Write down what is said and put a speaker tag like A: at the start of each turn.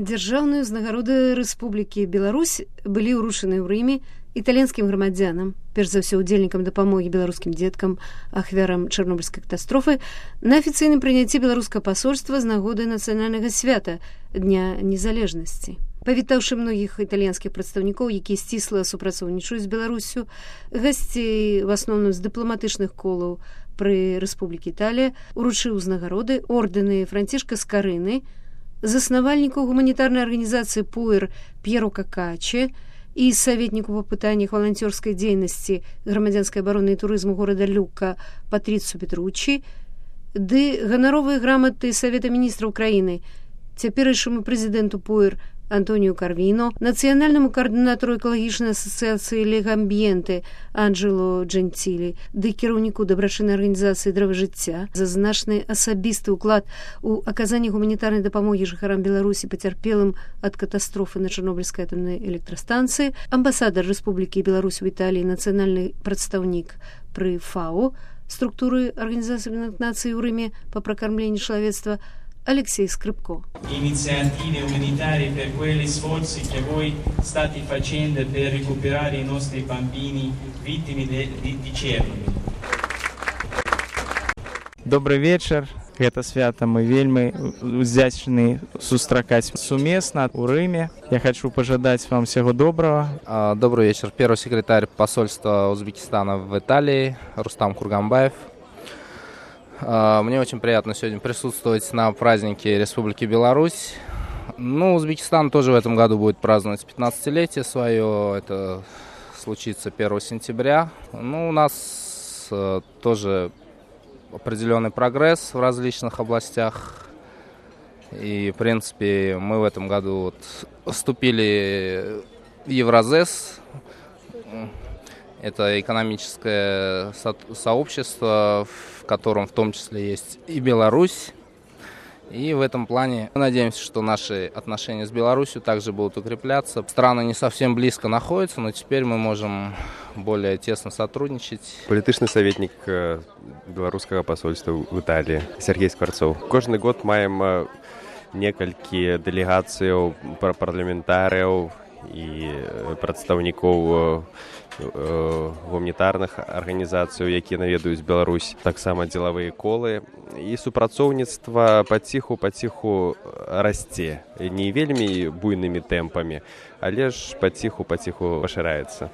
A: Дзяржаўныя ўзнагароды Рэспублікі Беларусь былі ўручаны ў Рыме італьянскім грамадзянам, перш за ўсё удзельнікам дапамогі беларускім дзеткам, ахвярам чарнобыльскай катастрофы, на афіцыйным прыняцці беларускага пасольства з нагоды нацыянальнага свята Дня незалежнасці. Павітаўшы многіх італьянскіх прадстаўнікоў, якія сцісла супрацоўнічаюць з Беларуссю, гасцей, в асноўным з дыпламатычных колаў пры Рэспублікі Італія, уручыў узнагароды ордэны Францішка Скарыны, заснавальніку гуманітарнай арганізацыі ПУЭР П'еру Какаче і саветніку па пытаннях валанцёрскай дзейнасці грамадзянскай абароны і турызму горада Люка Патрыцу Петруччі, ды ганаровыя граматы Савета міністраў краіны, цяперашняму прэзідэнту ПУЭР Антоніо Карвіно, нацыянальнаму каардынатару экалагічнай асацыяцыі Леgambiente Анджело Джентилі, ды кіраўніку дабрачыннай арганізацыі «Дрэва жыцця» за значны асабісты ўклад у аказанні гуманітарнай дапамогі жыхарам Беларусі пацярпелым ад катастрофы на Чарнобыльскай атамнай электрастанцыі, амбасадар Рэспублікі Беларусь у Італіі, нацыянальны прадстаўнік пры ФАО, структуры Арганізацыі Аб'яднаных Нацый у Рыме па пракармленні чалавецтва, Алексей Скрипко.
B: Iniziative umanitarie per quegli sforzi che voi state facendo per recuperare i nostri bambini vittime di Chernobyl.
C: Добрый вечер. Гэта свята мы вельмі удзячны сустракаць сумесна ў Рыме. Я хочу пожадать вам всего доброго.
D: Добрый вечер. Первый секретарь посольства Узбекистана в Италии Рустам Курганбаев. Мне очень приятно сегодня присутствовать на празднике Республики Беларусь. Узбекистан тоже в этом году будет праздновать 15-летие свое. Это случится 1 сентября. У нас тоже определенный прогресс в различных областях. И, в принципе, мы в этом году вступили в Евразес. Это экономическое сообщество, в котором в том числе есть и Беларусь. И в этом плане мы надеемся, что наши отношения с Беларусью также будут укрепляться. Страны не совсем близко находятся, но теперь мы можем более тесно сотрудничать.
E: Політычны советник беларускага посольства в Италии Сергей Скворцов. Каждый год маем некалькі делегацыяў парламентарыяў і прадстаўнікоў гуманітарных арганізацый, якія наведаюць Беларусь, таксама дзелавыя колы. І супрацоўніцтва паціху расце. Не вельмі буйнымі тэмпамі, але ж паціху пашыраецца.